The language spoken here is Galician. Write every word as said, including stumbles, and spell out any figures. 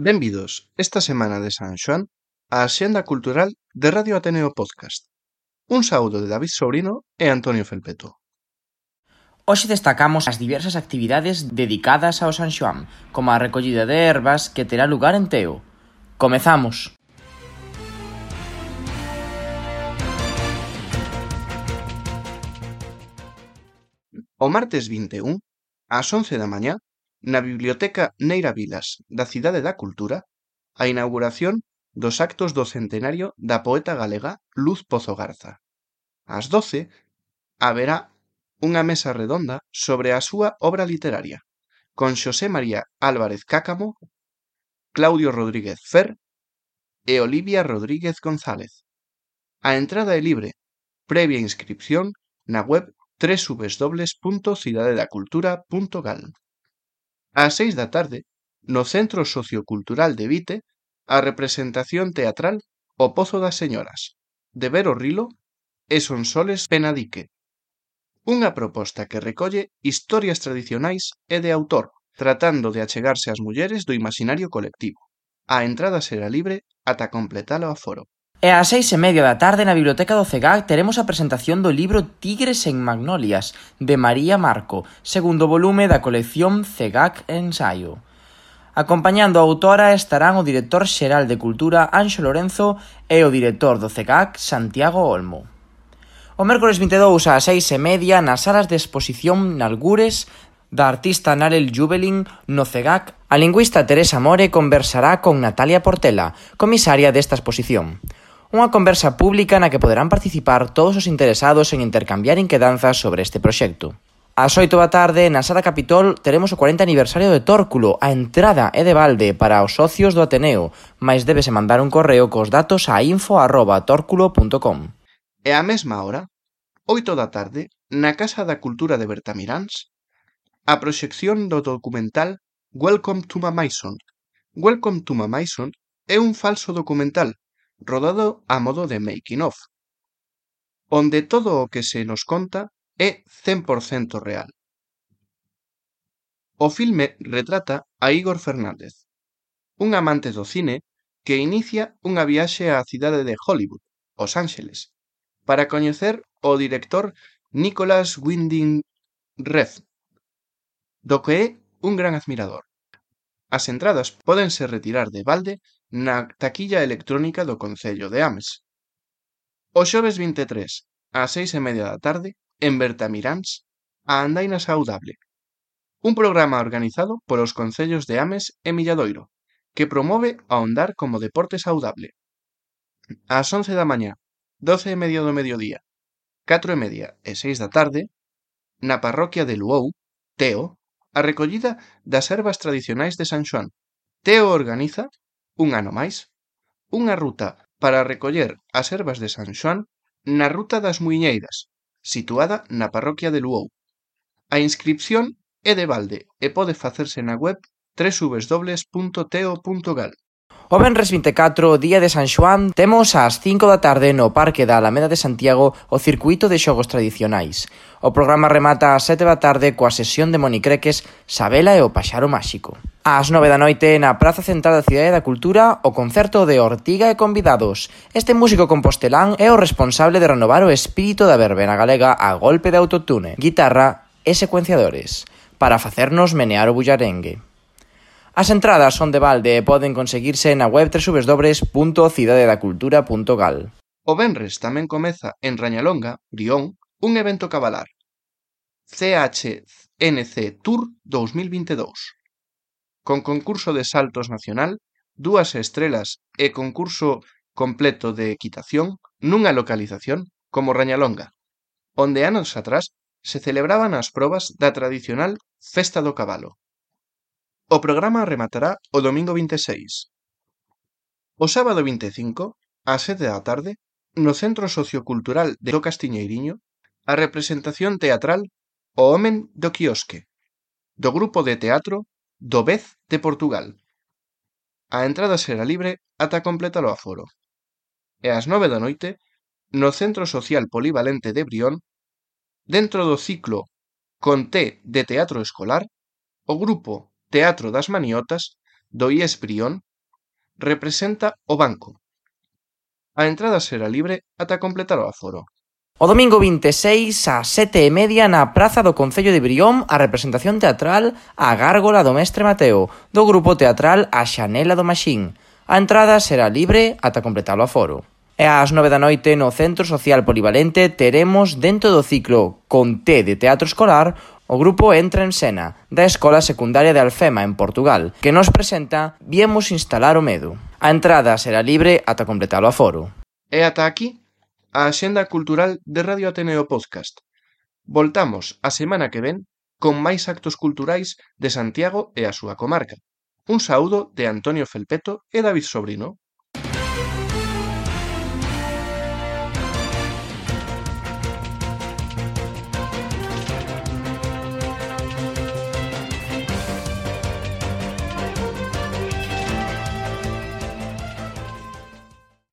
Benvidos esta semana de San Xoán á Axenda Cultural de Radio Ateneo Podcast. Un saúdo de David Sobrino e Antonio Felpeto. Hoxe destacamos as diversas actividades dedicadas ao San Xoán, como a recollida de ervas que terá lugar en Teo. Comezamos! O martes vinte e un, ás once da mañá, na Biblioteca Neira Vilas da Cidade da Cultura, a inauguración dos actos do centenario da poeta galega Luz Pozo Garza. Ás doce, haberá unha mesa redonda sobre a súa obra literaria, con Xosé María Álvarez Cácamo, Claudio Rodríguez Fer e Olivia Rodríguez González. A entrada é libre, previa inscripción na web doble u doble u doble u punto cidadedacultura punto gal. Ás seis da tarde, no Centro Sociocultural de Vite, a representación teatral O Pozo das Señoras, de Vero Rilo e Sonsoles Penadique. Unha proposta que recolle historias tradicionais e de autor, tratando de achegarse ás mulleres do imaxinario colectivo. A entrada será libre ata completar o aforo. E ás seis e media da tarde na Biblioteca do CEGAC teremos a presentación do libro Tigres en Magnolias, de María Marco, segundo volume da colección CEGAC Ensaio. Acompañando a autora estarán o director xeral de Cultura Anxo Lorenzo e o director do CEGAC Santiago Olmo. O mércores vinte e dous ás seis e media nas salas de exposición Nalgures da artista Narel Jubelin no CEGAC, a lingüista Teresa More conversará con Natalia Portela, comisaria desta exposición. Unha conversa pública na que poderán participar todos os interesados en intercambiar inquedanzas sobre este proxecto. Ás oito da tarde, na Sala Capitol, teremos o cuarenta aniversario de Tórculo. A entrada é de balde para os socios do Ateneo, mais débese mandar un correo cos datos a info arroba tórculo punto com. E á mesma hora, oito da tarde, na Casa da Cultura de Bertamiráns, a proxección do documental Welcome to Mamaison. Welcome to Mamaison é un falso documental rodado a modo de making of, onde todo o que se nos conta é cen por cento real. O filme retrata a Igor Fernández, un amante do cine que inicia unha viaxe á cidade de Hollywood, Os Ángeles, para coñecer o director Nicholas Winding Refn, do que é un gran admirador. As entradas pódense retirar de balde na taquilla electrónica do Concello de Ames. O xoves vinte e tres, ás seis e media da tarde, en Bertamiráns, a Andaina Saudable, un programa organizado polos concellos de Ames e Milladoiro, que promove a andar como deporte saudable. Ás once da mañá, doce e media do mediodía, catro e media e seis da tarde, na parroquia de Luou, Teo, a recollida das ervas tradicionais de San Xoán. Teo organiza, un ano máis, unha ruta para recoller as ervas de San Xoán na Ruta das Muiñeiras, situada na parroquia de Luou. A inscripción é de balde e pode facerse na web doble u doble u doble u punto teo punto gal. O venres vinte e catro, día de San Xoán, temos ás cinco da tarde no Parque da Alameda de Santiago o circuito de xogos tradicionais. O programa remata ás sete da tarde coa sesión de monicreques Sabela e o Paxaro Máxico. Ás nove da noite, na Praza Central da Cidade da Cultura, o concerto de Ortiga e convidados. Este músico compostelán é o responsable de renovar o espírito da verbena galega a golpe de autotune, guitarra e secuenciadores, para facernos menear o bullarengue. As entradas son de balde e poden conseguirse na web doble u doble u doble u punto cidadedacultura punto gal. O venres tamén comeza en Rañalonga, Brión, un evento cabalar, C H N C Tour dous mil vinte e dous, con concurso de saltos nacional, dúas estrelas e concurso completo de equitación nunha localización como Rañalonga, onde anos atrás se celebraban as probas da tradicional Festa do Cabalo. O programa rematará o domingo vinte e seis. O sábado vinte e cinco, ás sete da tarde, no Centro Sociocultural do Castiñeiriño, a representación teatral O Homen do Quiosque, do grupo de teatro do Vez de Portugal. A entrada será libre ata completar o aforo. E ás nove da noite, no Centro Social Polivalente de Brión, dentro do ciclo Con Té de Teatro Escolar, o grupo Teatro das Maniotas do I E S Brión representa o banco. A entrada será libre ata completar o aforo. O domingo vinte e seis ás sete e media na praza do Concello de Brión a representación teatral A Gárgola do Mestre Mateo do grupo teatral A Xanela do Maxín. A entrada será libre ata completar o aforo. E ás nove da noite no Centro Social Polivalente teremos dentro do ciclo Con T de Teatro Escolar o grupo Entra en Sena da Escola Secundaria de Alfema en Portugal que nos presenta Viemos instalar o medo. A entrada será libre ata completar o aforo. E ata aquí a Axenda Cultural de Radio Ateneo Podcast. Voltamos a semana que ven con máis actos culturais de Santiago e a súa comarca. Un saúdo de Antonio Felpeto e David Sobrino.